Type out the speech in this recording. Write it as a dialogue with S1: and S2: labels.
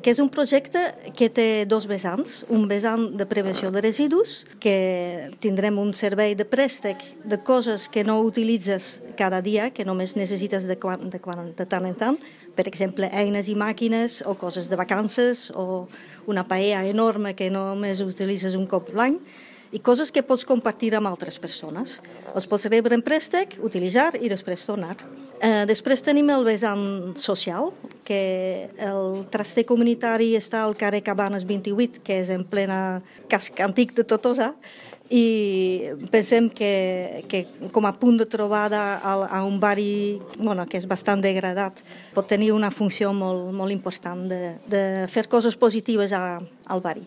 S1: que és un projecte que té dos vessants. Un vessant de prevenció de residus, que tindrem un servei de préstec de coses que no utilitzes cada dia, que només necessites de tant en tant, per exemple, eines i màquines o coses de vacances o una paella enorme que només utilitzes un cop l'any, i coses que pots compartir amb altres persones. Els pots rebre en préstec, utilitzar i després tornar. Després tenim el vessant social, que el traster comunitari està al carrer Cabanes 28, que és en plena casc antic de Tortosa, i pensem que com a punt de trobada a un barri que és bastant degradat pot tenir una funció molt important de fer coses positives al barri.